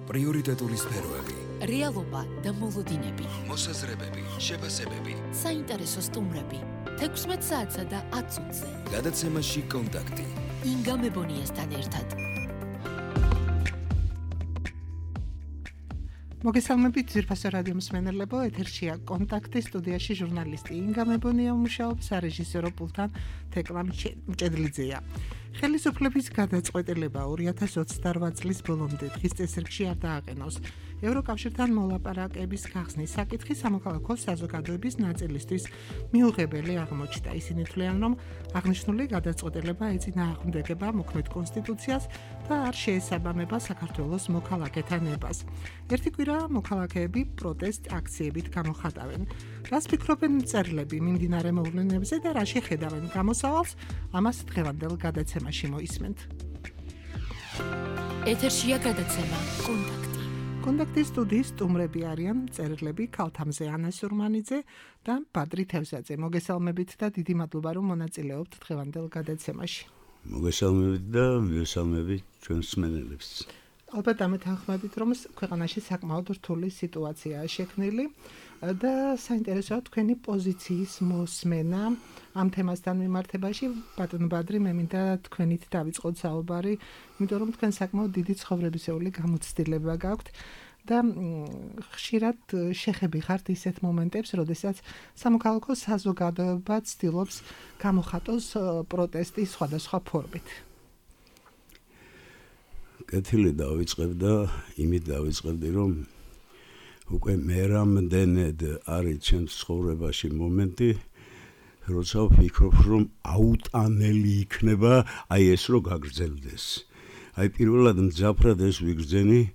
პრიორიტეტული სფეროები, რეალობა და მოლოდინები, მოსაზრებები, შეფასებები, საინტერესო სტუმრები, 16 საათსა და 10 წუთზე. გადაცემაში კონტაქტი. ინგა მებონიასთან ერთად. მოგესალმებით ძვირფასო რადიო მსმენელებო, ეთერშია კონტაქტი, სტუდიაში ჟურნალისტი ინგა მებონია მუშაობს, სარეჟისორო პულტთან თეკლა მჭედლიძეა. ხელისუფლების გადაწყვეტილება 2028 წლის ბოლომდე დღის წესრიგში არ დააყენოს. ევროკავშირთან მოლაპარაკების გახსნის საკითხი სამოქალაქო საზოგადოების ნაწილისთვის მიუღებელი აღმოჩნდა. ისინი თვლიან, რომ აღნიშნული გადაწყვეტილება ეწინააღმდეგება მოქმედ კონსტიტუციას და არ შეესაბამება საქართველოს მოქალაქეთა ნებას. ერთი კვირა მოქალაქეები პროტესტ აქციებით გამოხატავენ. რას ფიქრობენ მწერლები მიმდინარე მოვლენებზე და რა შეხედავენ გამოსავალს, ამას დღევანდელ გადაცემაში მოისმენთ. ეთერშია გადაცემა კონტაქტი. კონტაქტის სტუდიის სტუმრები არიან მწერლები ქალთამზე ანა სურმანიძე და ბადრი თევზაძე. მოგესალმებით და დიდი მადლობა რომ მონაწილეობთ დღევანდელ გადაცემაში. მოგესალმებით და მივესალმებით ჩვენს მსმენელებს. ალბათ ამეთანხმებით, რომ ქვეყანაში საკმაოდ რთული სიტუაციაა შექმნილი და საინტერესოა თქვენი პოზიციის მოსმენა ამ თემასთან მიმართებაში. ბატონო ბადრი, მე მინდა თქვენით დავიწყოთ საუბარი, იმიტომ რომ თქვენ საკმაოდ დიდი ცხოვრებისეული გამოცდილება გაქვთ და ხშირად შეხები ხართ ისეთ მომენტებს, როდესაც სამოქალაქო საზოგადოება ცდილობს გამოხატოს პროტესტი სხვადასხვა ფორმით. კეთილი დავიწყებ და იმით დავიწყებდი, რომ უკვე მერამდენედ არის ჩემს ცხოვრებაში მომენტი, როცა ვფიქრობ, რომ აუტანელი იქნება აი ეს რო გაგრძელდეს. აი პირველად მძაფრად ეს ვიგრძენი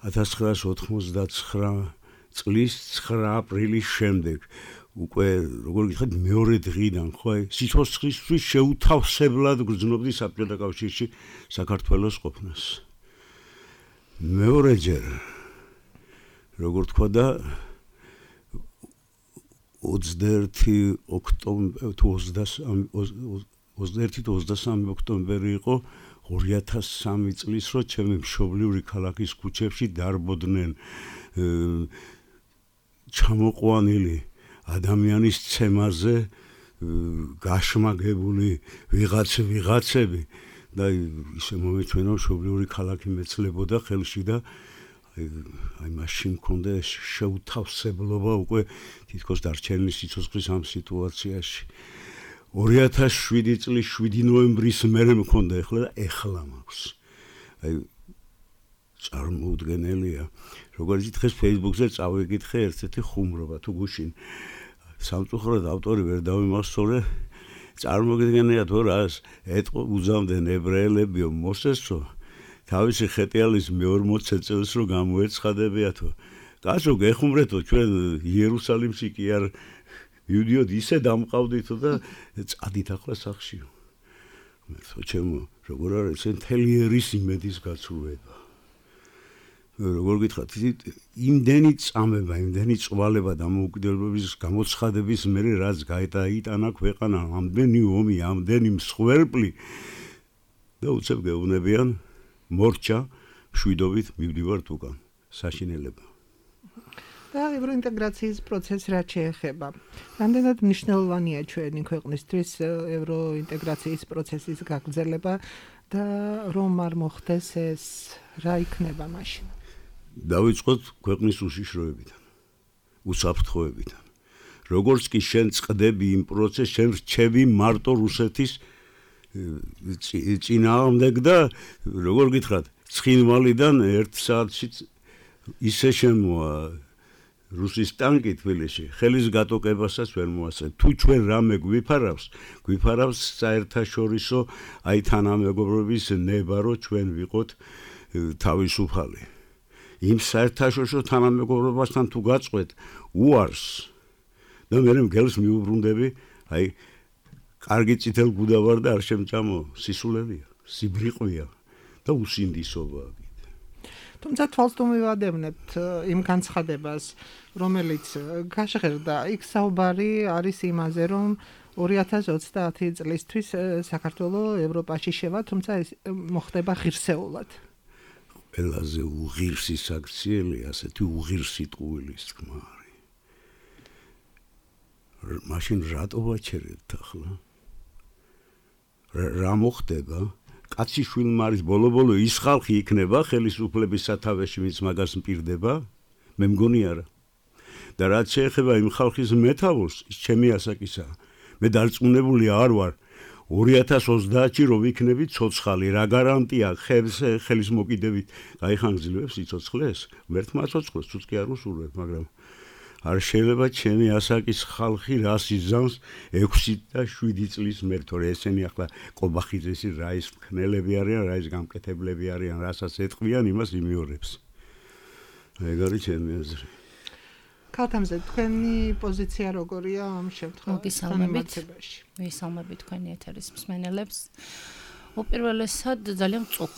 1989 წლის 9 აპრილის შემდეგ. უკვე როგორ გითხრათ მეორე დღიდან ხო აი სიცოცხლისთვის შეუთავსებლად გრძნობდი საბჭოთა კავშირში საქართველოს ყოფნას. მეორეჯერ როგორ თქვა და 21 23 ოქტომბერი იყო 2003 წლის, რო ჩემი მშობლიური ქალაქის ქუჩებში დარბოდნენ ჩამოყვანილი ადამიანის ცემაზე გაშმაგებული ვიღაცები და ისე მომეჩვენა მშობლიური ქალაქი მეცლებოდა ხელში და აი მაშინ მქონდა შეუთავსებლობა უკვე თითქოს დარჩენილი სიცოცხლის ამ სიტუაციაში. 2007 წლის 7 ნოემბრის მერე მქონდა ეხლა მაქვს. აი წარმოუდგენელია. როგორც დღეს Facebook-ზე წავიკითხე ერთ-ერთი ხუმრობა თუ გუშინ. სამწუხაროდ ავტორი ვერ დავიმახსოვრე. წარმოგიდგენია თუ რას ეტყო უზამდნენ ებრაელებიო მოსესო თავისი ხეტიალის მე-40 წელს რო გამოეცხადებიათო. კაცო გეხუმრეთო ჩვენ იერუსალიმში კი არ მივდიოდ ისე დამყავდითო და წადით ახლა სახშიო. მერტო ჩემო როგორ არის მთელი ერის იმედის გაცვლება. როგორ გითხრათ, იმდენი წამება, იმდენი წვალება დამოუკიდებლობის გამოცხადების მერე რაც გაიტანა ქვეყანა, ამდენი ომი, ამდენი მსხვერპლი და უცებ გეუბნებიან მორჩა მშვიდობით მივდივართ უკან საშინელება. და ევროინტეგრაციის პროცესს რაც შეეხება. რამდენად მნიშვნელოვანია ჩვენი ქვეყნისთვის ევროინტეგრაციის პროცესის გაგრძელება და რომ არ მოხდეს ეს რა იქნება მაშინ? დავიწყოთ ქვეყნის უშიშროებიდან, უსაფრთხოებიდან. როგორც კი შენ წყდები იმ პროცესს, შენ რჩები მარტო რუსეთის წინააღმდეგ და როგორ გითხრათ, ცხინვალიდან 1 საათში ისე შემოა რუსის ტანკი თბილისში, ხელის გატოკებასაც ვერ მოასწრებ. თუ ჩვენ რამე გვიფარავს საერთაშორისო აი თანამეგობრობის ნება, რომ ჩვენ ვიყოთ თავისუფალი. იმ საერთაშორისო თანამეგობრობასთან თუ გაწყვეთ უარს და მე მგელს მიუბრუნდები, აი კარგი წითელ გუდა ვარ და არ შემჭამო, სისულელია, სიბრიყვია და უსინდისობაა. თუმცა თვალს თუ მივადევნებთ იმ განცხადებას, რომელიც გაშღერდა, იქ საუბარი არის იმაზე, რომ 2030 წლისთვის საქართველოს ევროპაში შევა, თუმცა ეს მოხდება ღირსეულად. ყველაზე უღირსი საქციელი, ასეთი უღირსი ტყუილის თქმა არის. მაშინ რატო ვაჩერებთ ახლა? რა მოხდება? კაციშვილმა არის ბოლო-ბოლო ის ხალხი იქნება ხელისუფლების სათავეში, ვინც მაგას მპირდება? მე მგონი არა. და რაც შეეხება იმ ხალხის მეთაურს, ის ჩემი ასაკისაა. მე დარწმუნებული არ ვარ 2030-ში რო ვიქნები ცოცხალი, რა გარანტია ხელის მოკიდებით გაიხანგძლივებს სიცოცხლეს? მერთმა ცოცხლეს თუც კი არ უსურვებ, მაგრამ არ შეიძლება ჩემი ასაკის ხალხი რას იზამს 6 და 7 წლის მერე, თორე ესენი ახლა კობახიძესი რაის მქნელები არიან, რაის გამკეთებლები არიან, რასაც ეთყვიან, იმას იმიორებს. ეგ არის ჩემი აზრი. ქალთამზე, თქვენი პოზიცია როგორია ამ შემთხვევაში? ვისალმებით თქვენი ეთერის მსმენელებს. უპირველესად ძალიან მწუხ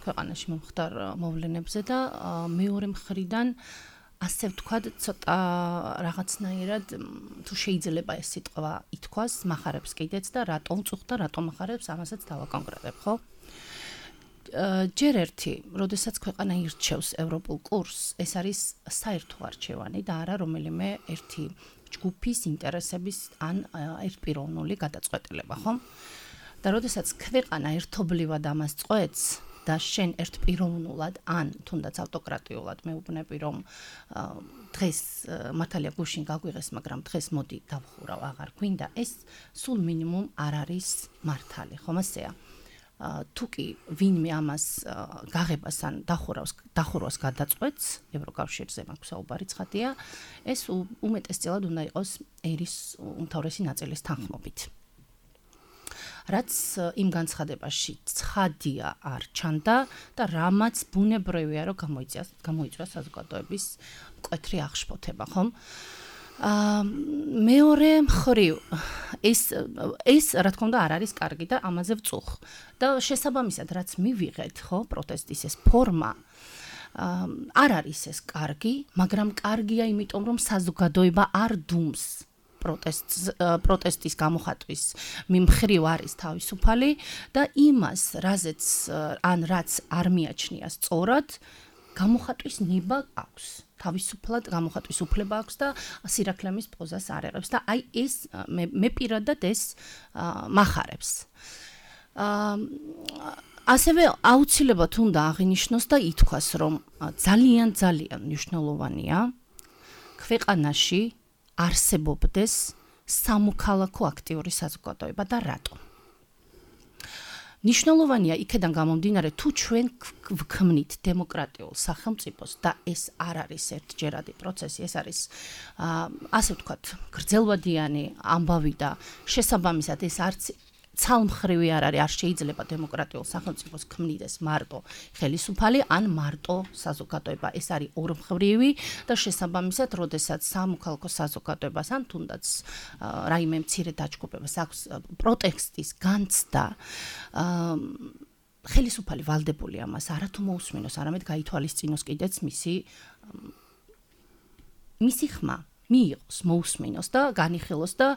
ქვეყანაში მომხდარ მოვლენებზე და მეორე მხრიდან ასე ვთქვათ, ცოტა რაღაცნაირად თუ შეიძლება ეს სიტყვა ითქვას, მახარებს კიდეც და რატომ მწუხ და რატომ მახარებს, ამასაც დავაკონკრეტებ, ხო? ჯერ ერთი, როდესაც ქვეყანა ირჩევს ევროპულ კურსს, ეს არის საერთო არჩევანი და არა რომელიმე ერთი ჯგუფის ინტერესების ან ერთპიროვნული გადაწყვეტილება, ხო? და როდესაც ქვეყანა ერთობლივად ამას წყვეტს და შენ ერთპიროვნულად ან თუნდაც ავტოკრატიულად მეუბნები რომ დღეს მართალია გუშინ გაგვიღეს, მაგრამ დღეს მოდი დავხურავ, აღარ გვინდა, ეს სულ მინიმუმ არ არის მართალი, ხომ ასეა? თუ კი ვინმე ამას გაღებას ან დახურვას გადაწყვეტს, ევროკავშირზე მაქვს საუბარი ცხადია, ეს უმეტესწილად უნდა იყოს ერის უმთავრესი ნაწილის თანხმობით. რაც იმ განცხადებაში ცხადია არ ჩანდა და რამაც ბუნებრივია რომ გამოიწვია საზოგადოების მკვეთრი აღშფოთება, ხომ? მეორე მხრივ ეს რა თქმა უნდა არ არის კარგი და ამაზე ვწუხ. და შესაბამისად რაც მივიღეთ, ხო, პროტესტის ეს ფორმა არ არის ეს კარგი, მაგრამ კარგია იმიტომ რომ საზოგადოება არ დუმს პროტესტის გამოხატვის მიმხრივ არის თავისუფალი და იმას, რაც არ მიაჩნია სწორად, გამოხატვის ნება აქვს. თავისუფლად გამოხატვის უფლება აქვს და სირაქლემის პოზას არ ეღებს და აი ეს მე პირადად ეს მახარებს. ასევე აუცილებლად უნდა აღინიშნოს და ითქვას, რომ ძალიან მნიშვნელოვანია ქვეყანაში არსებობდეს სამოქალაქო აქტიური საზოგადოება და რატომ? ნიშნულოვანია იქედან გამომდინარე თუ ჩვენ ვქმნით დემოკრატიულ სახელმწიფოს და ეს არ არის ერთჯერადი პროცესი, ეს არის ასე ვთქვათ, გრძელვადიანი ამბავი და შესაბამისად ეს არც ცალმხრივი არ არის, არ შეიძლება დემოკრატიულ სახელმწიფოს ქმნიდეს მარტო ხელისუფალი ან მარტო საზოგადოება. ეს არის ორმხრივი და შესაბამისად, როდესაც სამოქალაქო საზოგადოებას ან თუნდაც რაიმე მცირე დაჯგუფებას აქვს პროტესტის განცდა, ხელისუფალი ვალდებული ამას არათუ მოусმინოს, არამედ გაითვალისწინოს კიდეც მისი ხმა. მიიღოს, მოусმინოს და განიხილოს და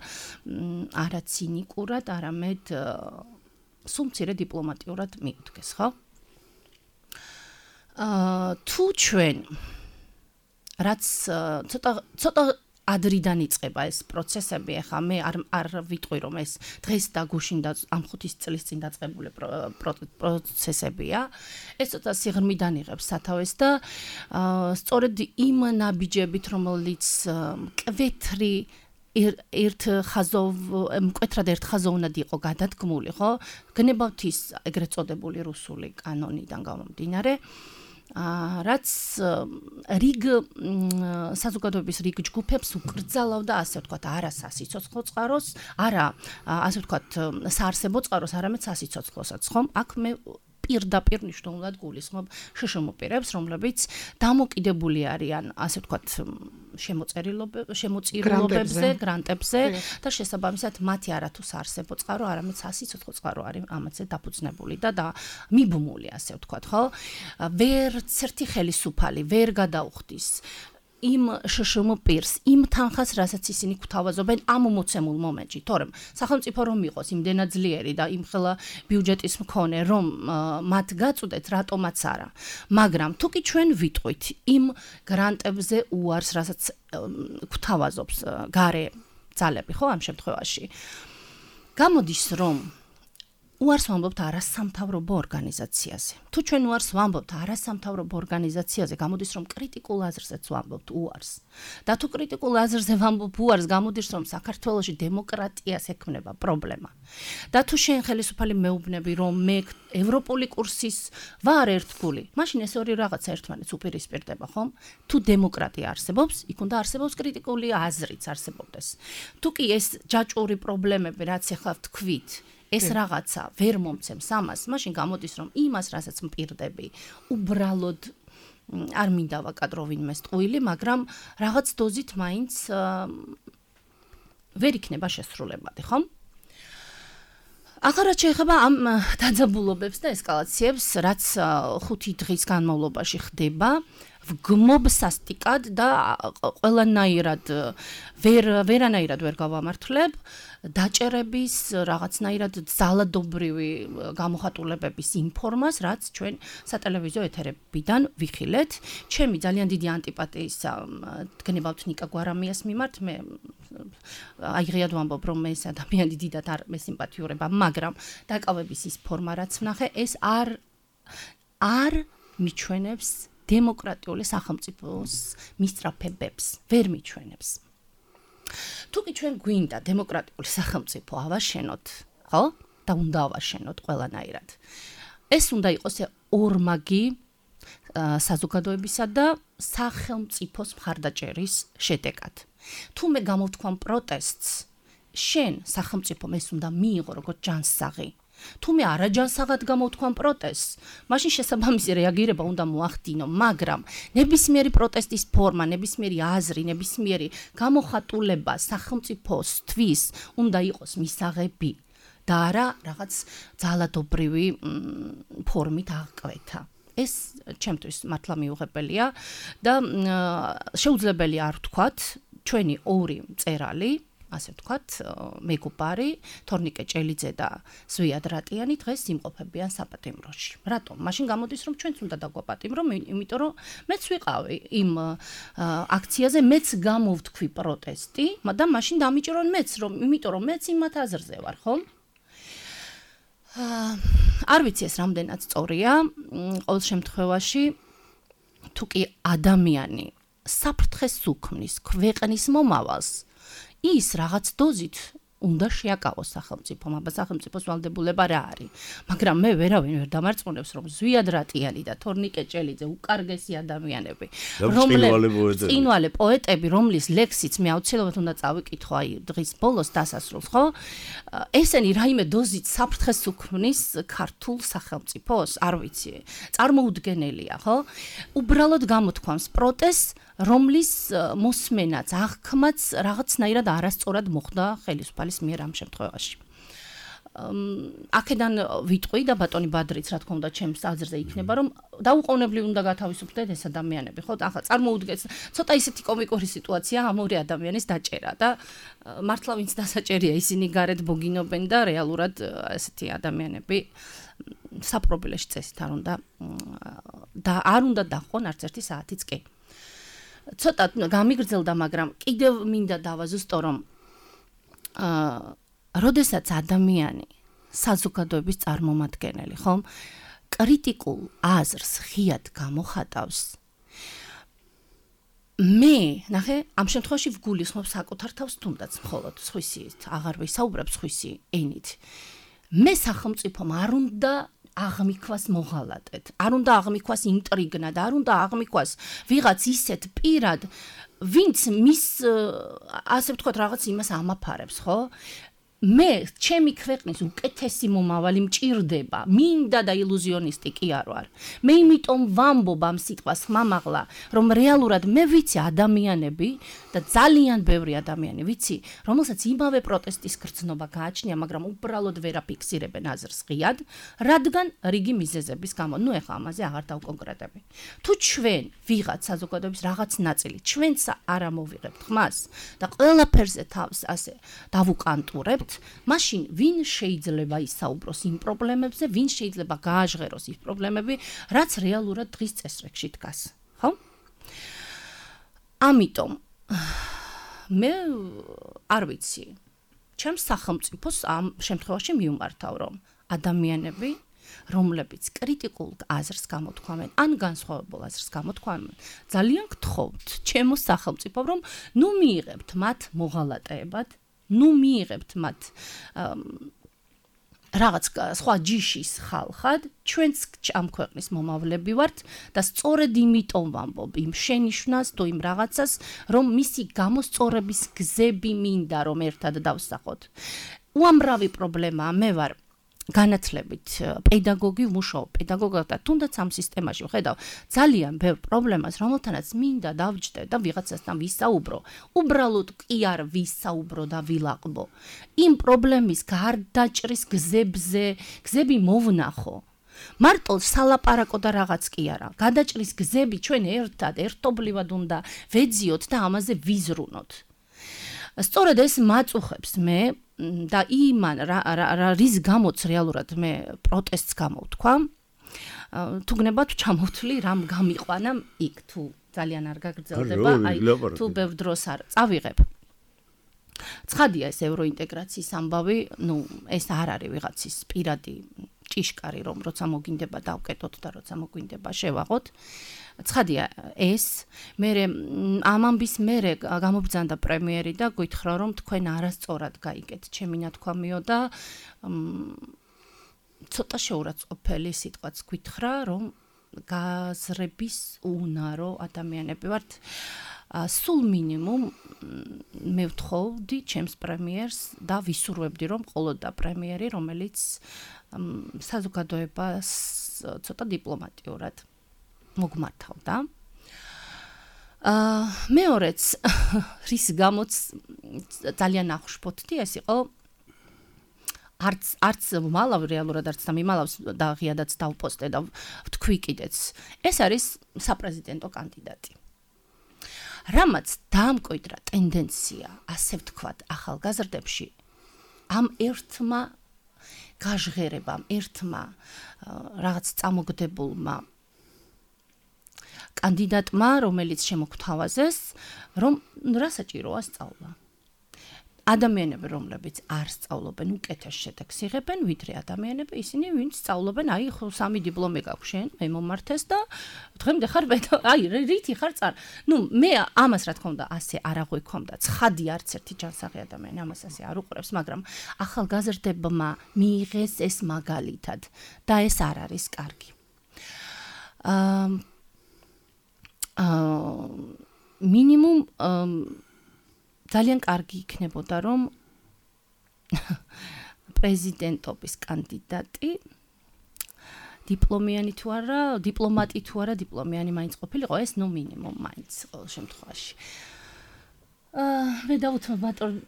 არა ცინიკურად, არამედ სულ მცირე დიპლომატიურად მიუდგეს, ხო? თუ ჩვენ რაც ცოტა ადრიდან იწყება ეს პროცესები, ახლა მე არ ვიტყვი რომ ეს დღეს და გუშინ და ამ 5 წლის წინ დაწყებული პროცესებია. ეს ცოტა სიღრმიდან იღებს სათავეს და სწორედ იმ ნაბიჯებით, რომელიც მკვეთრად ერთხაზოვნად იყო გადადგმული, ხო? გნებავთის ეგრეთ წოდებული რუსული კანონიდან გამომდინარე, რაც რიგ საზოგადოების რიგ ჯგუფებს უკრძალავდა, ასე ვთქვათ, არა სასიცოცხლო წყაროს, არა ასე ვთქვათ, საარსებო წყაროს, არამედ სასიცოცხლოსაც, ხომ? აქ მე პირდაპირ მნიშვნელოვნად გულისხმობ შშმ-პირებს, რომლებიც დამოკიდებული არიან, ასე ვთქვათ, შემოწირულობებზე, გრანტებზე და შესაბამისად მათი არათუ საარსებო წყარო, არამედ სასიცოცხლო წყარო არის ამაზე დაფუძნებული და მიბმული, ასე ვთქვათ, ხო? ვერც ერთი ხელისუფალი ვერ გადაუხდის იმ შშმ პირს, იმ თანხას, რასაც ისინი გვთავაზობენ ამ მოცემულ მომენტში, თორემ სახელმწიფო რომ იყოს იმდენად ძლიერი და იმხელა ბიუჯეტის მქონე, რომ მათ გაწუდეთ, რატომაც არა. მაგრამ თუ კი ჩვენ ვიტყვით იმ გრანტებზე უარს, რასაც გვთავაზობს გარე ძალები, ხო, ამ შემთხვევაში. გამოდის, რომ უარს ვამბობთ არასამთავრობო ორგანიზაციაზე. თუ ჩვენ უარს ვამბობთ არასამთავრობო ორგანიზაციაზე, გამოდის, რომ კრიტიკულ აზრზეც ვამბობთ უარს. და თუ კრიტიკულ აზრზე ვამბობ უარს, გამოდის, რომ საქართველოში დემოკრატიას ექმნება პრობლემა. და თუ შენ ხელისუფალი მეუბნები, რომ მე ევროპული კურსის ვარ ერთგული, მაშინ ეს ორი რაღაცა ერთმანეთს უპირისპირდება, ხომ? თუ დემოკრატია არსებობს, იქ უნდა არსებობს კრიტიკული აზრიც არსებობდეს. თუ კი ეს ჯაჭვური პრობლემები, რაც ახლა ვთქვით, ეს რაღაცა ვერ მომცემს ამას, მაშინ გამოდის, რომ იმას, რასაც მპირდები, უბრალოდ არ მინდა ვაკადრო ვინმეს ტყუილი, მაგრამ რაღაც დოზით მაინც ვერ იქნება შესრულებადი, ხომ? ახლა რაც შეეხება ამ დაძაბულობებს და ესკალაციებს, რაც 5 დღის განმავლობაში ხდება, ვგმობ სასტიკად და ყველანაირად ვერანაირად ვერ გავამართლებ დაჭერების რაღაცნაირად ძალადობრივი გამოხატულებების ინფორმას, რაც ჩვენ სატელევიზიო ეთერებიდან ვიხილეთ. ჩემი ძალიან დიდი ანტიპათიის გნებავთ ნიკა გვარამიას მიმართ, მე აიღიად ვამბობ, რომ ეს ადამიანი დიდად არ მესიმპათიურება, მაგრამ დაკავების ის ფორმა, რაც ვნახე, ეს არ მიჩვენებს დემოკრატიული სახელმწიფოს მისწრაფებებს, ვერ მიჩვენებს. თუ კი ჩვენ გვინდა დემოკრატიული სახელმწიფო ავაშენოთ, ხო? და უნდა ავაშენოთ ყველანაირად. ეს უნდა იყოს ორმაგი საზოგადოებისა და სახელმწიფოს მხარდაჭერის შედეგად. თუ მე გამოვთქვამ პროტესტს, შენ სახელმწიფომ ეს უნდა მიიღო როგორც ჯანსაღი. თუ მე არაჯანსაღად გამოვთქვამ პროტესტს, მაშინ შესაბამისი რეაგირება უნდა მოახდინო, მაგრამ ნებისმიერი პროტესტის ფორმა, ნებისმიერი აზრი, ნებისმიერი გამოხატულება სახელმწიფოსთვის უნდა იყოს მისაღები და არა რაღაც ძალადობრივი ფორმით აღკვეთა. ეს ჩემთვის მართლა მიუღებელია და შეუძლებელი არ ვთქვათ, ჩვენი ორი მწერალი, ასე ვთქვათ, მეგობარი, თორნიკე ჭელიძე და ზვიად რატიანი დღეს იმყოფებიან საპატიმროში. რატომ? მაშინ გამოდის, რომ ჩვენც უნდა დაგვაპატიმრო, იმიტომ რომ მეც ვიყავი იმ აქციაზე, მეც გამოვთქვი პროტესტი, და მაშინ დამიჭირონ მეც, იმიტომ რომ მეც იმათ აზრზე ვარ, ხო? არ ვიცი ეს რამდენად სწორია, ყოველ შემთხვევაში, თუ კი ადამიანი საფრთხეს უქმნის ქვეყნის მომავალს, ის რაღაც დოზით უნდა შეაკავოს სახელმწიფომ, აბა სახელმწიფოს ვალდებულება რა არის. მაგრამ მე ვერავინ ვერ დამარწმუნებს, რომ ზვიად რატიანი და თორნიკე ჭელიძე უკარგესი ადამიანები, წინვალე პოეტები, რომლის ლექსიც მე აუცილებლად უნდა წავიკითხო აი დღის ბოლოს დასასრულს, ხო? ესენი რაიმე დოზით საფრთხეს უქმნის ქართულ სახელმწიფოს, არ ვიცი, წარმოუდგენელია, ხო? უბრალოდ გამოთქვამს პროტესტს, რომლის მოსმენაც, აღქმაც რაღაცნაირად არასწორად მოხდა ხელისუფალის მიერ ამ შემთხვევაში. აქედან ვიტყვი და ბატონი ბადრიც, რა თქმა უნდა, ჩემს აზრზე იქნება, რომ დაუყოვნებლივ უნდა გათავისუფლდეთ ეს ადამიანები, ხო? ახლა წარმოუდგენს, ცოტა ისეთი კომიკური სიტუაცია ამ ორი ადამიანის დაჭერა და მართლა ვინც დასაჭერია, ისინი გარეთ ბოგინობენ და რეალურად ესეთი ადამიანები საპრობილეში წესით არ უნდა დახვონ არც ერთი საათიც კი. ცოტა გამიგრძელდა, მაგრამ კიდევ მინდა დავაზუსტო, რომ როდესაც ადამიანი საზოგადოების წარმომადგენელი, ხომ, კრიტიკულ აზრს ღიად გამოხატავს, მე, ნახე, ამ შემთხვევაში ვგულისხმობ საკუთარ თავს, თუნდაც მხოლოდ სხვისი აღარ ვისაუბრებ სხვისი ენით. მე სახელმწიფომ არ უნდა აღმიქვას მოღალატეთ, არ უნდა აღმიქვას ინტრიგნა და არ უნდა აღმიქვას ვიღაც ისეთ პირად, ვინც მის, ასე ვთქვათ, რაღაც იმას ამაფარებს, ხო? მე ჩემი ქვეყნის უკეთესი მომავალი მჭირდება, მინდა და ილუზიონისტი კი არ ვარ. მე იმიტომ ვამბობ ამ სიტყვას ხმამაღლა, რომ რეალურად მე ვიცი ადამიანები და ძალიან ბევრი ადამიანი ვიცი, რომელსაც იმავე პროტესტის გრძნობა გააჩნია, მაგრამ უბრალოდ ვერ აფიქსირებენ აზრს ღიად, რადგან რიგი მიზეზების გამო. ნუ ეხლა ამაზე აღარ დავკონკრეტები. თუ ჩვენ ვიღაც საზოგადოების რაღაც ნაწილი ჩვენც არ ამოვიღებთ ხმას და ყველაფერზე თავს ასე დავუკანტურებთ, მაშინ ვინ შეიძლება ისაუბროს იმ პრობლემებზე, ვინ შეიძლება გააჟღეროს ის პრობლემები, რაც რეალურად დღის წესრიგში დგას, ხო? ამიტომ მე არ ვიცი, ჩემს სახელმწიფოს ამ შემთხვევაში მივმართავ, რომ ადამიანები, რომლებიც კრიტიკულ აზრს გამოთქვამენ, ან განსხვავებულ აზრს გამოთქვამენ, ძალიან გთხოვთ ჩემო სახელმწიფო, რომ ნუ მიიღებთ მათ მოღალატეებად, ნუ მიიღებთ მათ რაღაც სხვა ჯიშის ხალხად, ჩვენც ამ ქვეყნის მომავლები ვართ და სწორედ იმიტომ ვამბობ იმ შენიშვნას თუ იმ რაღაცას, რომ მისი გამოსწორების გზები მინდა რომ ერთად დავსახოთ. უამრავი პრობლემაა, მე ვარ განათლებით პედაგოგი, ვმუშაობ პედაგოგად და თუნდაც ამ სისტემაში ვხედავ ძალიან ბევრ პრობლემას, რომელთანაც მინდა დავჯდე და ვიღაცასთან ვისაუბრო, უბრალოდ კი არ ვისაუბრო და ვილაყბო. იმ პრობლემის გარდაჭრის გზები მოვნახო. მარტო სალაპარაკო და რაღაც კი არა. გადაჭრის გზები ჩვენ ერთობლივად უნდა ვეძიოთ და ამაზე ვიზრუნოთ. სწორედ ეს მაწუხებს მე და იმან რის გამოც რეალურად მე პროტესტს გამოვთქვა. თუ გნებათ ჩამოვთვლი რამ გამიყვანა იქ თუ ძალიან არ გაგრძელდება, აი თუ ბევრ დროს არ წავიღებ. ცხადია ეს ევროინტეგრაციის ამბავი, ნუ ეს არ არის ვიღაცის პირადი ჭიშკარი, რომ როცა მოგინდება დავკეტოთ და როცა მოგვინდება შევაღოთ. ცხადია ეს, მე ამ ამბის მერე გამობრძანდა პრემიერი და გითხრა რომ თქვენ არასწორად გაიგეთ ჩემი ნათქვამიო და ცოტა შეურაცხყოფელი სიტყვაც გითხრა რომ გაზრების უნარო ადამიანები ვართ. სულ მინიმუმ მე ვთხოვდი ჩემს პრემიერს და ვისურვებდი რომ ყოლოდა პრემიერი, რომელიც საზოგადოებას ცოტა დიპლომატიურად მოგმართავდა. მეორეც რის გამოც ძალიან აღშფოთდი ეს იყო არც მალავ რეალურად არც და მიმალავს და ღიადაც დავპოსტე და ვთქვი კიდეც. ეს არის საპრეზიდენტო კანდიდატი. რამაც დაამკვიდრა ტენდენცია, ასე ვთქვათ, ახალგაზრდებში ამ ერთმა გაჟღერებამ, ერთმა რაღაც წამოგდებულმა კანდიდატმა, რომელიც შემოგთავაზეს, რომ რა საჭიროა სწავლა. ადამიანები, რომლებიც არ სწავლობენ, უკეთეს შედეგს იღებენ, ვიდრე ადამიანები, ისინი, ვინც სწავლობენ, აი, ხო, 3 დიპლომი გაქვს შენ, მე მომართეს და დღემდე ხარ აი, რითი ხარ წარ. ნუ, მე ამას რა თქმა უნდა, ასე არ აღვიქόμდა. ცხადი არც ერთი ჯანსაღი ადამიანი ამას ასე არ უყურებს, მაგრამ ახალგაზრდებმა მიიღეს ეს მაგალითად და ეს არ არის კარგი. მინიმუმ ძალიან კარგი იქნებოდა რომ პრეზიდენტობის კანდიდატი დიპლომიანი თუ არა, დიპლომატი თუ არა, დიპლომიანი მაინც ყოფილიყო, ეს ნუ მინიმუმ მაინც ყოველ შემთხვევაში. მე დავუთმობ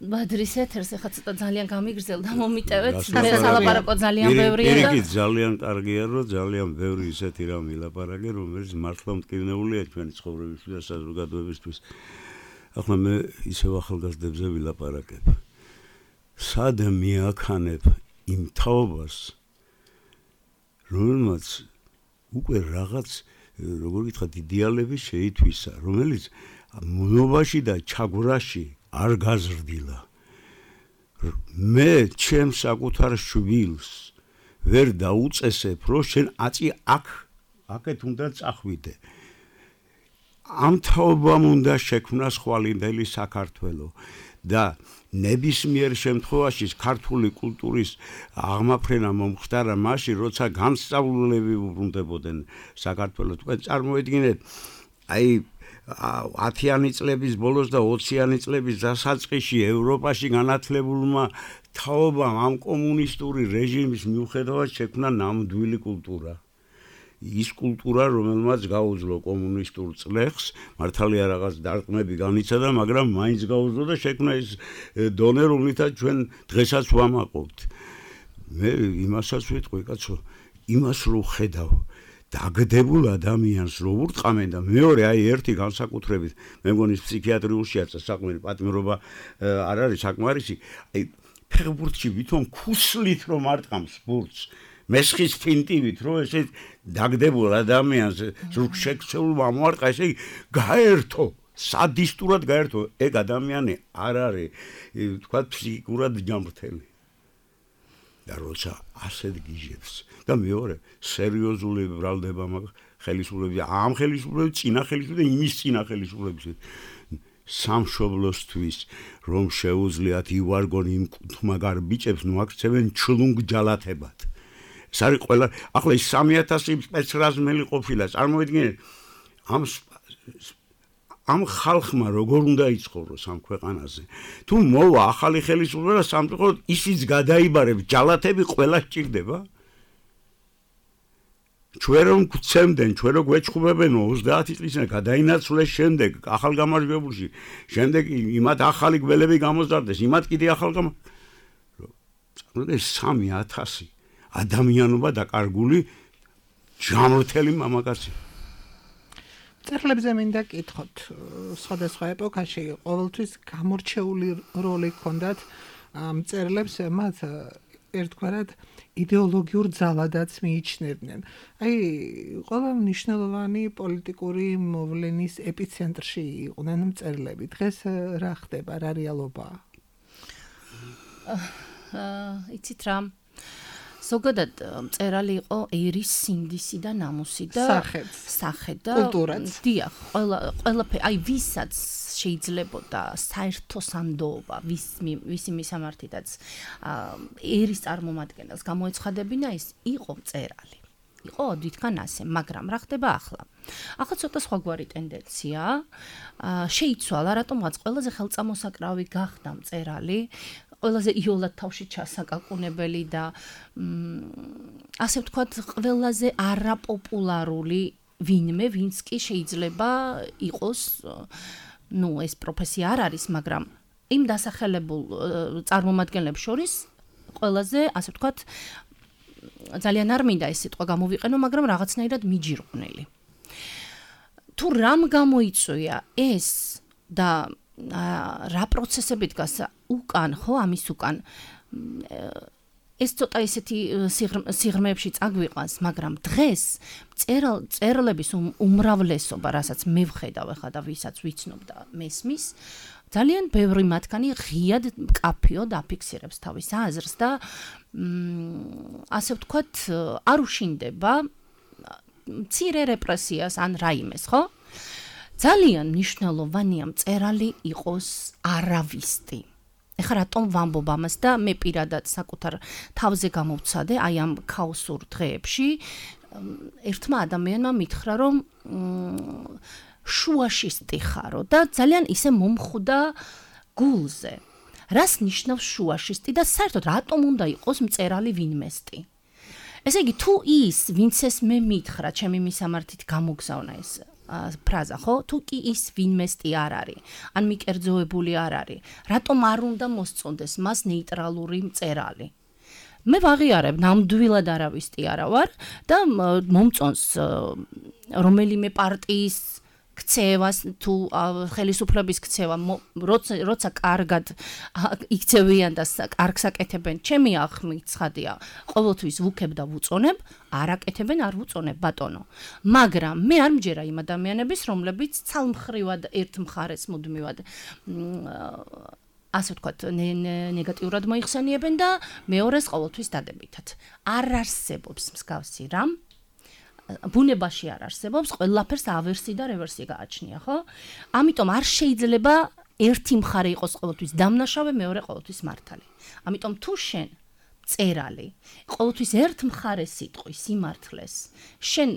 ბადრის ეთერს, ეხლა ცოტა ძალიან გამიგრძელდა, მომიტევეთ, მე სალაპარაკო ძალიან ბევრია და იგი ძალიან კარგია, რომ ძალიან ბევრი ისეთი რამ ილაპარაკე, რომელიც მართლა მტკივნეულია ჩვენი ცხოვრებისთვის და საზოგადოებისთვის. ახლა მე ისევ ახალგაზრდებზე ვილაპარაკებ. სად მიაქანებ იმ თაობას, რომელმაც უკვე რაღაც, როგორ გითხრათ, იდეალები შეითვისა, რომელიც მონობაში და ჩაგვრაში არ გაზრდილა. მე ჩემს საკუთარ შვილს ვერ დაუწესებ, რომ შენ აწი აქეთ უნდა წახვიდე. ამ თაობამ უნდა შექმნას ხვალინდელი საქართველო და ნებისმიერ შემთხვევაში ქართული კულტურის აღმაფრენა მომხდარა მაშინ, როცა განსწავლულები უბრუნდებოდნენ საქართველოს. თქვენ წარმოედგინეთ, აი 10-იანი წლების ბოლოს და 20-იანი წლების დასაწყისში ევროპაში განათლებულმა თაობამ ამ კომუნისტური რეჟიმის მიუხედავად შექმნა ნამდვილი კულტურა. ის კულტურა, რომელმაც გაუძლო კომუნისტურ წლეხს, მართალია რაღაც დარტყმები განიცადა, მაგრამ მაინც გაუძლო და შექმნა ის დონე, რომლითაც ჩვენ დღესაც ვამაყობთ. მე იმასაც ვიტყვი, კაცო, იმას რო ხედავ დაგდებულ ადამიანს რო ურტყამენ და მეორე აი ერთი განსაკუთრებით მე მგონი ფსიქიატრიულშია საქმე პატიმრობა არ არის საკმარისი აი ფეხბურთში ვითომ ქუსლით რომ არტყამს ბურთს მესხის ფინტივით რო ესე დაგდებულ ადამიანს ზურგშექცეულ მომარტყა ესე გაერთო სადისტურად გაერთო ეგ ადამიანი არ არის თქვა ფსიქიკურად ჯანმრთელი და როცა ასეთ გიჟებს და მეორე სერიოზული ბრალდება მაგ ხელისუფლების ამ ხელისუფლების წინა ხელისუფლების და იმის წინა ხელისუფლების სამშობლოსთვის რომ შეუძლიათ ივარგონ იმ თმაგარ ბიჭებს ნუ აქცევენ ჩლუნგ ჯალათებად ეს არის ყველა ახლა ის 3000 სპეცრაზმელი ყოფილა წარმოიდგინეთ ამ ხალხმა როგორ უნდა იცხოვროს ამ ქვეყანაზე თუ მოვა ახალი ხელისუფლება სამწუხაროდ ისიც გადაიბარებს ჯალათები ყველა სჭირდება ჩვენ რომ გვცემდნენ ჩვენ რო გვეჩხუბებენ 30 წლის გადაინაცვლეს შემდეგ ახალგამარჯვებულში შემდეგ იმათ ახალი გველები გამოზარდეს იმათ კიდე წარმოიდგინეთ 3000 ადამიანობა დაკარგული ჯანმრთელი მამაკაცი წერლებზე მინდა კითხოთ სხვადასხვა ეპოქაში ყოველთვის გამორჩეული როლი ჰქონდათ წერლებს მათ ერთგვარად იდეოლოგიურ ძალადაც მიიჩნევდნენ. აი, ყველა მნიშვნელოვანი პოლიტიკური მოვლენის ეპიცენტრში იყვნენ მწერლები. დღეს რა ხდება, რა რეალობაა? იცით რა? ზოგადად მწერალი იყო ერის სინდისი და ნამუსი და სახე და კულტურაც. დიახ, ყველაფერი, აი ვისაც შეიძლებოდა საერთო სანდოობა, ვისი მისამართითაც ერის წარმომადგენელს გამოეცხადებინა ის იყო მწერალი. იყო ოდითგან ასე, მაგრამ რა ხდება ახლა? ახლა ცოტა სხვაგვარი ტენდენციაა. შეიცვალა, რატომღაც ყველაზე ხელწამოსაკრავი გახდა მწერალი, ყველაზე იოლად თავში ჩასაკაკუნებელი და ასე ვთქვათ, ყველაზე არაპოპულარული ვინმე, ვინც კი შეიძლება იყოს ეს პროფესია არ არის, მაგრამ იმ დასახელებულ წარმომადგენლებს შორის ყველაზე, ასე ვთქვათ, ძალიან არ მინდა ეს სიტყვა გამოვიყენო, მაგრამ რაღაცნაირად მიჯირყვნელი. თუ რამ გამოიწვია ეს და რა პროცესები დგას უკან, ხო, ამის უკან ეს ცოტა ისეთი სიღრმეებში წაგვიყვანს, მაგრამ დღეს მწერლების უმრავლესობა, რასაც მე ვხედავ ახლა და ვისაც ვიცნობ და მესმის, ძალიან ბევრი მათგანი ღიად მკაფიოდ აფიქსირებს თავის აზრს და ასე ვთქვათ, არ უშინდება მცირე რეპრესიას ან რაიმეს, ხო? ძალიან მნიშვნელოვანია მწერალი იყოს არავისტი. ეხლა რატომ ვამბობ ამას და მე პირადად საკუთარ თავზე გამოვცადე აი ამ ქაოსურ დღეებში ერთმა ადამიანმა მითხრა რომ შუაშისტი ხარო და ძალიან ისე მომხვდა გულზე. რას ნიშნავს შუაშისტი და საერთოდ რატომ უნდა იყოს მწერალი ვინმესტი? ესე იგი თუ ის ვინც ეს მე მითხრა ჩემი მისამართით გამოგზავნა ეს ფრაზა, ხო? თუ კი ის ვინმესტი არ არის, ან მიკერძოებული არ არის, რატომ არ უნდა მოსწონდეს მას ნეიტრალური მწერალი? მე ვაღიარებ, ნამდვილად არავისტი არა ვარ და მომწონს რომელიმე პარტიის ქცევას თუ ხელისუფლების ქცევა, როცა კარგად იქცევიან და კარგს აკეთებენ, ჩემი ახმით ცხადია, ყოველთვის ვუქებ და ვუწონებ, არ აკეთებენ, არ ვუწონებ, ბატონო. მაგრამ მე არ მჯერა იმ ადამიანების, რომლებიც ცალმხრივად ერთ მხარეს მუდმივად ასე ვთქვათ, ნეგატიურად მოიხსენიებენ და მეორეს ყოველთვის დადებითად. არ არსებობს მსგავსი რამ. ბუნებაში არ არსებობს, ყველაფერს ავერსი და რევერსი გააჩნია, ხო? ამიტომ არ შეიძლება ერთი მხარე იყოს ყოველთვის დამნაშავე, მეორე ყოველთვის მართალი. ამიტომ თუ შენ წერალი ყოველთვის ერთ მხარეს სიტყვის სიმართლეს შენ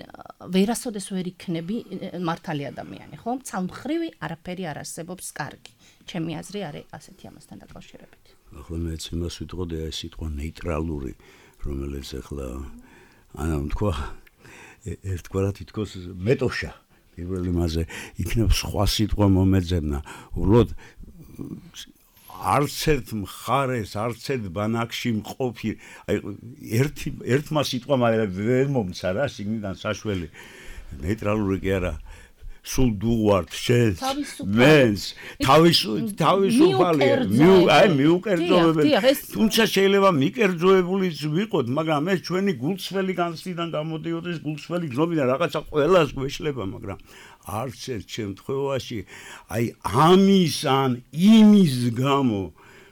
ვერასოდეს ვერ იქნები მართალი ადამიანი ხო ცალმხრივი არაფერი არ არსებობს კარგი ჩემი აზრი არის ასეთი ამასთან დაკავშირებით ახლა მეც იმას ვიტყოდი აი სიტყვა ნეიტრალური რომელიც ახლა ანუ თქვა ერთგვარად თითქოს მეტოშა პირველი მასე იქნებ სხვა სიტყვა მომეძებნა უბრალოდ არც ერთ მხარეს არც ერთ ბანაკში მყოფი აი ერთმა სიტყვამ ვერ მომცა რა სიგნიდან საშველი ნეიტრალური კი არა სულ დუღვართ შენს მენს თავისუფალია მიუკერძოებელი თუმცა შეიძლება მიკერძოებულიც ვიყოთ მაგრამ ეს ჩვენი გულწრფელი განცდიდან გამოდიოდეს გულწრფელი გზნობიდან რაღაცა ყველას გვეშლება მაგრამ არც ერთ შემთხვევაში აი ამის ან იმის გამო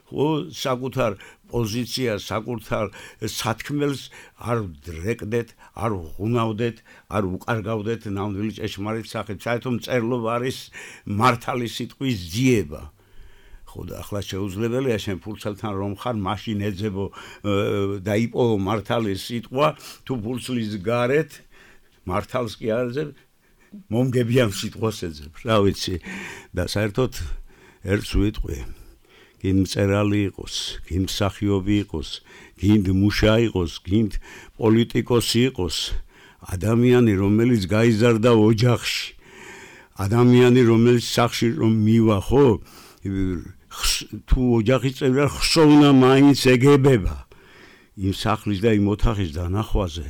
ხო საკუთარ პოზიციას საკუთარ სათქმელს არ დრეკდეთ არ ღუნავდეთ არ უკარგავდეთ ნამდვილი ჭეშმარიტ სახით საერთოდ მწერლობა არის მართალი სიტყვის ძიება ხო და ახლა შეუძლებელია შენ ფურცელთან რომ ხარ მაშინ ეძებო და იპოვო მართალი სიტყვა თუ ფურცლის გარეთ მართალს კი არ ეძებ მომგებიან სიტყვას ეძებ რა ვიცი და საერთოდ ერთს ვიტყვი გინდ მწერალი იყოს, გინდ მსახიობი იყოს, გინდ მუშა იყოს, გინდ პოლიტიკოსი იყოს, ადამიანი რომელიც გაიზარდა ოჯახში, ადამიანი რომელიც სახში რომ მივა ხო, თუ ოჯახის წევრია ხსოვნა მაინც ეგებება იმ სახლის და იმ ოთახის დანახვაზე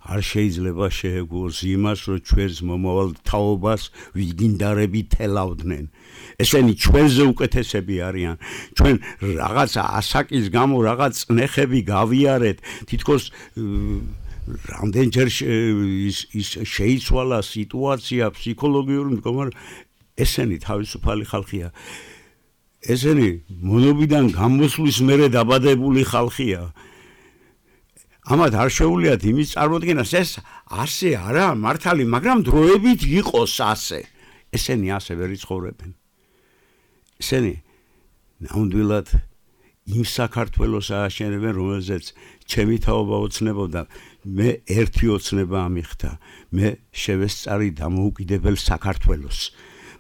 არ შეიძლება შეეგუოს იმას, რომ ჩვენს მომავალ თაობას ვიგინდარები თელავდნენ. ესენი ჩვენზე უკეთესები არიან. ჩვენ რაღაც ასაკის გამო რაღაც წნეხები გავიარეთ. თითქოს რამდენჯერ შეიცვალა სიტუაცია ფსიქოლოგიური მდგომარეობა. ესენი თავისუფალი ხალხია. ესენი მონობიდან გამოსვლის მერე დაბადებული ხალხია. ამათ არ შეუძლიათ იმის წარმოდგენას ეს ასე არა მართალი მაგრამ დროებით იყოს ასე ესენი ასე ვერ იცხოვრებენ ესენი ნამდვილად იმ საქართველოს ააშენებენ რომელზეც ჩემი თაობა ოცნებობდა მე ერთი ოცნება ამიხდა მე შევესწარი დამოუკიდებელ საქართველოს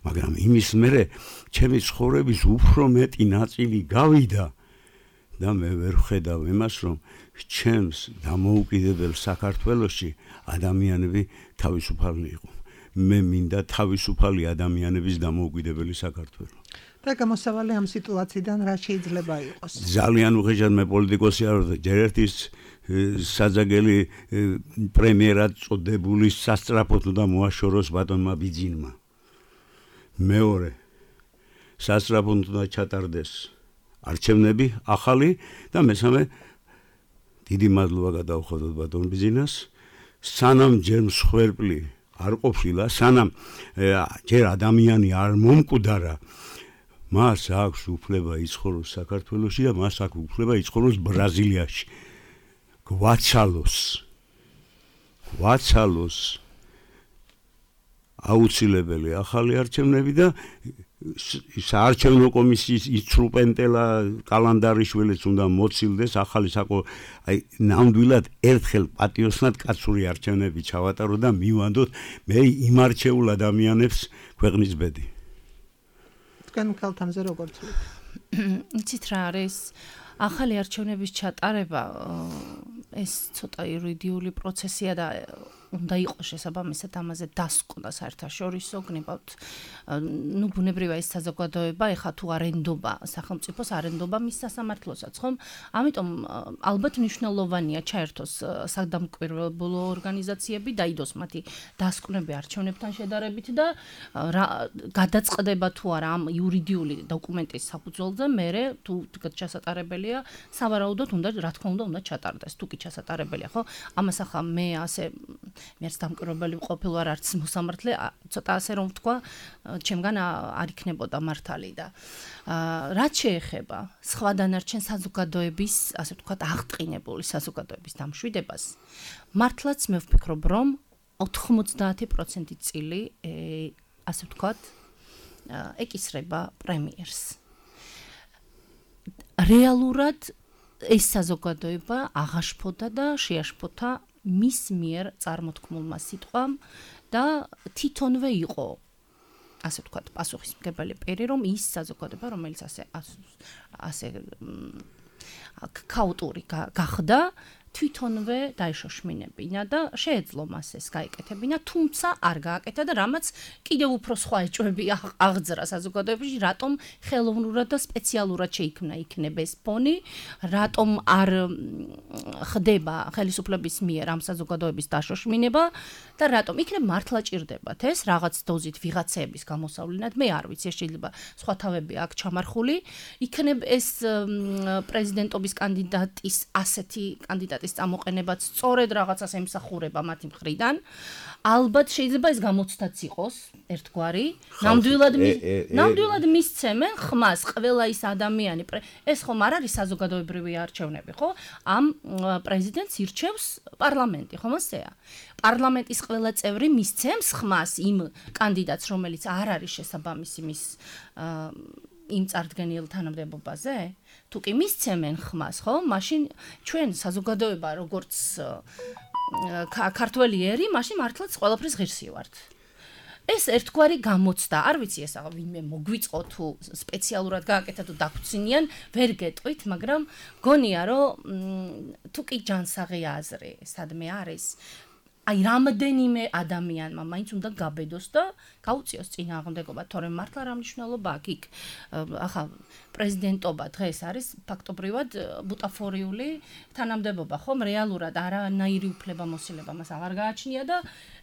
მაგრამ იმის მერე ჩემი ცხოვრების უფრო მეტი ნაწილი გავიდა და მე ვერ ხედავ იმას რომ ჩემს დამოუკიდებელ საქართველოში ადამიანები თავისუფალი იყო. მე მინდა თავისუფალი ადამიანების დამოუკიდებელი საქართველო. და გამოსავალი ამ სიტუაციიდან რა შეიძლება იყოს? ძალიან უხეშად მე პოლიტიკოსი არ ვარ, ჯერ ერთის საძაგელი პრემიერად წოდებული სასწრაფოდ უნდა მოაშოროს ბატონმა ბიძინმა. მეორე სასწრაფოდ უნდა ჩატარდეს არჩევნები ახალი და მესამე დიდი მადლობა გადავხადოთ ბატონ ბიძინას სანამ ჯერ მსხვერპლი არ ყოფილა სანამ ჯერ ადამიანი არ მომკვდარა მას აქვს უფლება იცხოვროს საქართველოში და მას აქვს უფლება იცხოვროს ბრაზილიაში გვაცალოს აუცილებელი ახალი არჩევნები და საარჩევნო კომისიის ინსტრუმენტელა კალანდარიშვილიც უნდა მოცილდეს ახალი აი ნამდვილად ერთხელ პატიოსნად კაცური არჩევნები ჩავატარო და მივანდოთ მე იმ არჩეულ ადამიანებს ქვეყნის ბედი თქვენ ქალთამზე როგორ თვლით? იცით რა არის ახალი არჩევნების ჩატარება ეს ცოტა იურიდიული პროცესია და უნდა იყოს შესაბამისად ამაზე დასკვნა საერთაშორისო გნებავთ ნუ ბუნებრივია ეს საზოგადოება ეხა თუ არენდობა სახელმწიფოს არენდობა მის სასამართლოსაც ხომ ამიტომ ალბათ მნიშვნელოვანია ჩაერთოს სადამკვირვებლო ორგანიზაციები დაიდოს მათი დასკვნები არჩევნებთან შედარებით და გადაწყდება თუ არა ამ იურიდიული დოკუმენტის საფუძველზე მერე თუ ჩასატარებელია სავარაუდოდ უნდა რა თქმა უნდა ჩატარდეს თუ კი ჩასატარებელია ხო ამას ახლა მე ასე მეც დამკვირვებელი ყოფილ ვარ არც მოსამართლე ცოტა ასე რომ ვთქვა ჩემგან არ იქნებოდა მართალი და რაც შეეხება სხვა დანარჩენ საზოგადოების ასე ვთქვათ აღტყინებული საზოგადოების დამშვიდებას მართლაც მე ვფიქრობ რომ 90% წილი ასე ვთქვათ ეკისრება პრემიერს რეალურად ეს საზოგადოება აღაშფოთა და შეაშფოთა მის მიერ წარმოთქმულმა სიტყვამ და თვითონვე იყო ასე ვთქვათ პასუხისმგებელი პირი, რომ ის საზოგადოება, რომელიც ასე ქაოტური გახდა, თვითონვე დაეშოშმინებინა და შეეძლო მას ეს გაეკეთებინა, თუმცა არ გააკეთა და რამაც კიდევ უფრო სხვა ეჭვები აღძრა საზოგადოებაში, რატომ ხელოვნურად და სპეციალურად შეიქმნა ეს ფონი, რატომ არ ხდება ხელისუფლების მიერ ამ საზოგადოების დაშოშმინება და რატომ იქნებ მართლა ჭირდებათ ეს რაღაც დოზით ვიღაცების გამოსავლენად, მე არ ვიცი, შეიძლება სხვა თავები აქ ჩამარხული, იქნებ ეს პრეზიდენტობის კანდიდატის ასეთი კანდიდატის წამოყენებაც სწორედ რაღაცას ემსახურება მათი მხრიდან. ალბათ შეიძლება ეს გამოცდაც იყოს ერთგვარი, ნამდვილად მისცემენ ხმას ყველა ის ადამიანი, ეს ხომ არ არის საზოგადოებრივი არჩევნები, ხო? ამ პრეზიდენტს ირჩევს პარლამენტი, ხომ ასეა? პარლამენტის ყველა წევრი მისცემს ხმას იმ კანდიდატს, რომელიც არ არის შესაბამისი მის იმ წარდგენილ თანამდებობაზე? თუ კი მისცემენ ხმას, ხო? მაშინ ჩვენ საზოგადოება როგორც ქართველი ერი, მაშინ მართლაც ყველაფრის ღირსი ვართ. ეს ერთგვარი გამოცდა, არ ვიცი ეს ვინმე მოგვიწყო თუ სპეციალურად გააკეთა თუ დაგვცინიან, ვერ გეტყვით, მაგრამ გონია რომ თუ კი ჯანსაღი აზრი სადმე არის, აი რამდენიმე ადამიანმა მაინც უნდა გაბედოს და გაუწიოს წინააღმდეგობა, თორემ მართლა რა მნიშვნელობა აქვს იქ. ახლა პრეზიდენტობა დღეს არის ფაქტობრივად ბუტაფორიული თანამდებობა, ხომ? რეალურად არანაირი უფლებამოსილება მას აღარ გააჩნია და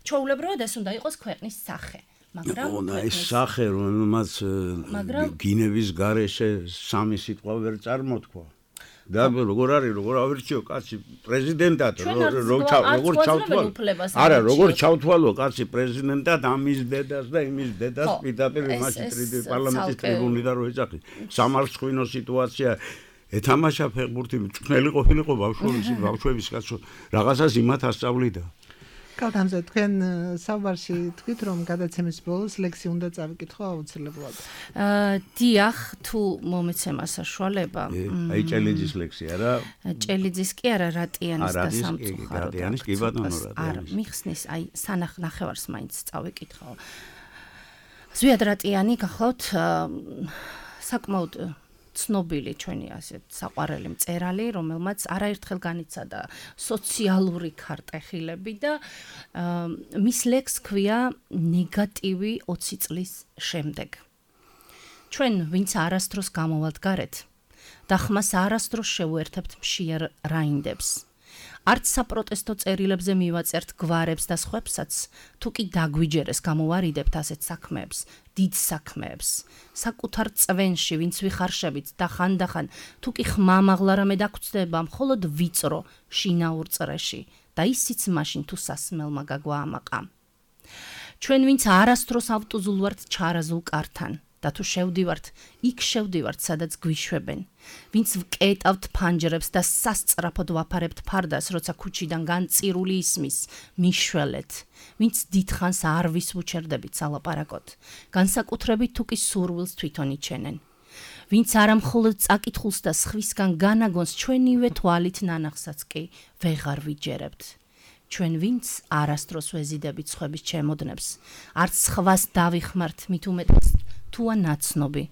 ჩვეულებრივად ეს უნდა იყოს ქვეყნის სახე. მაგრამ ეს სახე, რომელმაც გინების გარეშე სამი სიტყვა ვერ წარმოთქვა. და როგორ არის, როგორ ავირჩიო კაცი პრეზიდენტად, როგორ ჩავთვალო. არა, როგორ ჩავთვალო კაცი პრეზიდენტად ამის დედას და იმის დედას პირდაპირ იმაში პარლამენტის ტრიბუნიდან რო ეძახი. სამარცხვინო სიტუაცია ეთამაშა ფეხბურთი, მწვრთნელი ყოფილიყო ბავშვების კაცო, რაღაცას იმათ ასწავლიდა. კალთამზე თქვენ საუბარში თქვით, რომ გადაცემის ბოლოს ლექსი უნდა წავიკითხო აუცილებლად. დიახ, თუ მომეცემა საშუალება. აი ჭელიძის ლექსი არა? ჭელიძის კი არა, რატიანის და სამწუხარო. რატიანის კი ბატონო რატიანის. არა, მიხსნის, აი ნახევარს მაინც წავიკითხო. ზვიად რატიანი გახლავთ საკმაოდ ცნობილი ჩვენი ასეთ საყვარელი მწერალი, რომელმაც არაერთხელ განიცადა სოციალური ქარტეხილები და მის ლექსს ქვია ნეგატივი 20 წლის შემდეგ. ჩვენ ვინც არასდროს გამოვალთ გარეთ და ხმას არასდროს შევუერთებთ მშიერ რაინდებს. არც საპროტესტო წერილებზე მივაწერთ გვარებს და სხვებსაც, თუ კი დაგვიჯერეს გამოვარიდებთ ასეთ საქმეებს, დიდ საქმეებს, საკუთარ წვენში ვინც ვიხარშებით და ხანდახან, თუ კი ხმამაღლა რამე დაგწდება მხოლოდ ვიწრო შინაურ წრეში და ისიც მაშინ თუ სასმელმა გაგვაამაყა. ჩვენ ვინც არასდროს ავტუზულ ვართ ჩარაზულ კართან და თუ შევდივართ, იქ შევდივართ, სადაც გვიშვებენ. ვინც ვკეტავთ ფანჯრებს და სასწრაფოდ ვაფარებთ ფარდას, როცა ქუჩიდან განწირული ისმის, მიშველეთ. ვინც დიდხანს არ ვისვუჩერდებით სალაპარაკოდ, განსაკუთრებით თუ კი სურვილს თვითონ იჩენენ. ვინც არამხოლოდ წაკითხულს და სხვისგან განაგონს ჩვენივე თვალით ნანახსაც კი ვეღარ ვიჯერებთ. ჩვენ ვინც არასდროს ვეზიდებით სხვების ჩემოდნებს, არც სხვას დავიხმართ მით უმეტეს თუა ნაცნობი,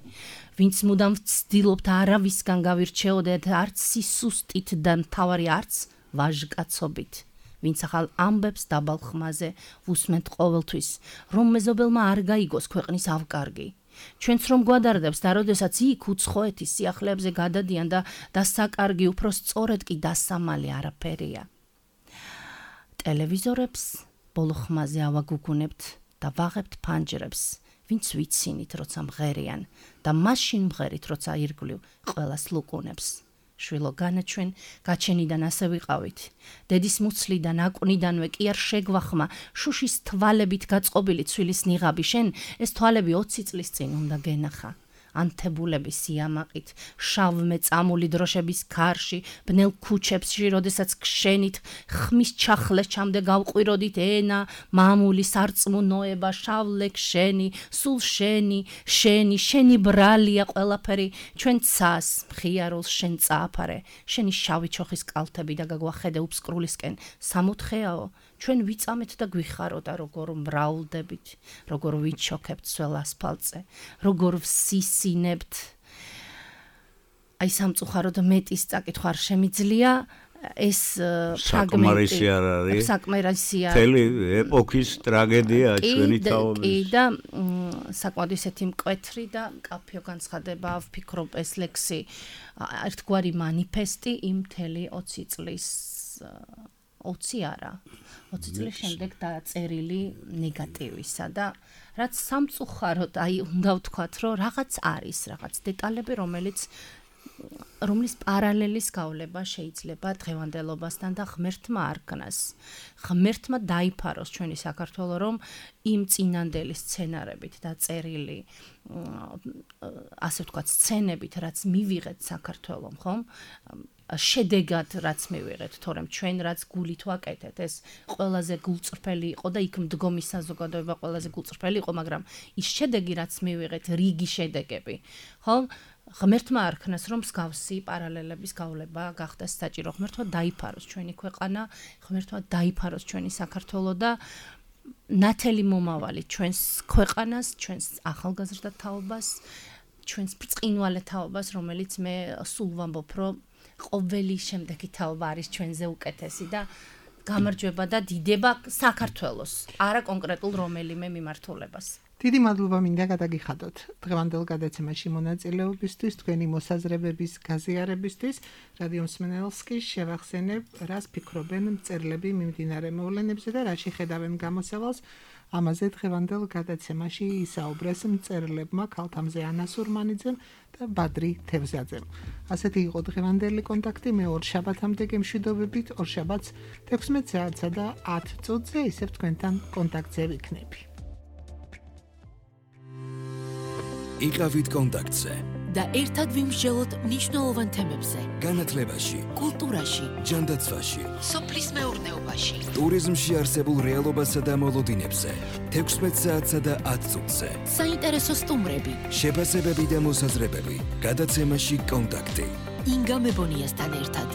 ვინც მუდამ ვცდილობთ არავისგან გავირჩეოდეთ არც სისუსტით და მთავარი არც ვაჟკაცობით, ვინც ახალ ამბებს დაბალ ხმაზე ვუსმენთ ყოველთვის, რომ მეზობელმა არ გაიგოს ქვეყნის ავკარგი. ჩვენც რომ გვადარდებს და როდესაც იქ უცხოეთის სიახლეებზე გადადიან და დასაკარგი უფრო სწორედ კი დასამალი არაფერია. ტელევიზორებს ბოლო ხმაზე ავაგუგუნებთ და ვაღებთ ფანჯრებს, ვინც ვიცინით, როცა მღერიან და მაშინ მღერით, როცა ირგვლივ ყველას ლუკუნებს. შვილო განაჩვენ, გაჩენიდან ასე ვიყავით. დედის მუცლიდან, აკვნიდანვე კი არ შეგვახმა, შუშის თვალებით გაწყობილი ცვილის ნიღაბი შენ, ეს თვალები 20 წლის წინ უნდა გენახა. ანთებულების სიამაყით, შავმეწამული დროშების ქარში, ბნელ ქუჩებში, როდესაც გშენით ხმის ჩახლეჩამდე გავყვიროდით ენა, მამული სარწმუნოება, შავლე შენი, სულ შენი ბრალია ყველაფერი, ჩვენ ცას, მხიარულს შენ წააფარე, შენი შავი ჩოხის კალთები და გაგვახედე უფსკრულისკენ, სამოთხეაო, ჩვენ ვიწამეთ და გვიხარო და როგორ მრავლდებით, როგორ ვიჩოქებთ სველ ასფალტზე, როგორ ვსისინებთ. აი სამწუხაროდ მეტის წაკითხვა არ შემიძლია, ეს საკმარისი არ არის. საკმარისია. მთელი ეპოქის ტრაგედია ჩვენი თაობის. კი და საკმაოდ ისეთი მკვეთრი და მკაფიო განცხადება ვფიქრობ ეს ლექსი ერთგვარი მანიფესტი იმ მთელი 20 წლის 20 არა 20 წლის შემდეგ დაწერილი ნეგატივისა და რაც სამწუხაროდ აი უნდა ვთქვათ რომ რაღაც არის რაღაც დეტალები რომლის პარალელის გავლება შეიძლება დღევანდელობასთან და ღმერთმა არქნას. ღმერთმა დაიფაროს ჩვენი საქართველო, რომ იმ წინანდელი სცენარებით დაწერილი ასე ვთქვათ სცენებით, რაც მივიღეთ საქართველომ, ხომ? შედეგად რაც მივიღეთ, თორემ ჩვენ რაც გულით ვაკეთეთ, ეს ყველაზე გულწრფელი იყო და იქ მდგომი საზოგადოება ყველაზე გულწრფელი იყო, მაგრამ ის შედეგი რაც მივიღეთ, რიგი შედეგები, ხო? ღმერთმა არქნას რომ მსგავსი პარალელების გავლება გახდეს საჭირო. ღმერთმა დაიფაროს ჩვენი ქვეყანა, ღმერთმა დაიფაროს ჩვენი საქართველო და ნათელი მომავალი ჩვენს ქვეყანას, ჩვენს ახალგაზრდა თაობას, ჩვენს ბრწყინვალე თაობას, რომელიც მე სულ ვამბობ, რომ ყოველი შემდეგი თაობა არის ჩვენზე უკეთესი და გამარჯვება და დიდება საქართველოს, არა კონკრეტულ რომელიმე მიმართულებას. დიდი მადლობა მინდა გადაგიხადოთ დღევანდელ გადაცემაში მონაწილეობისთვის, თქვენი მოსაზრებების გაზიარებისთვის. რადიო მსმენელს კი შევახსენებ, რას ფიქრობენ მწერლები მიმდინარე მოვლენებზე და რა შეხედავენ გამოსავალს. ამაზე დღევანდელ გადაცემაში ისაუბრეს მწერლებმა ქალთამზე ანა სურმანიძემ და ბადრი თევზაძემ. ასეთი იყო დღევანდელი კონტაქტი. მე ორ შაბათამდე გემშვიდობებით, ორ შაბათს 16 საათსა და 10 წუთზე ისევ თქვენთან კონტაქტზე ვიქნები. იყავით კონტაქტზე და ერთად ვიმსჯელოთ მნიშვნელოვან თემებზე. განათლებაში, კულტურაში, ჯანდაცვაში, სოფლის მეურნეობაში, ტურიზმში არსებულ რეალობასა და მოლოდინებზე, 16 საათსა და 10 წუთზე. საინტერესო სტუმრები, შეფასებები და მოსაზრებები. გადაცემაში კონტაქტი. ინგა მებონიასთან ერთად.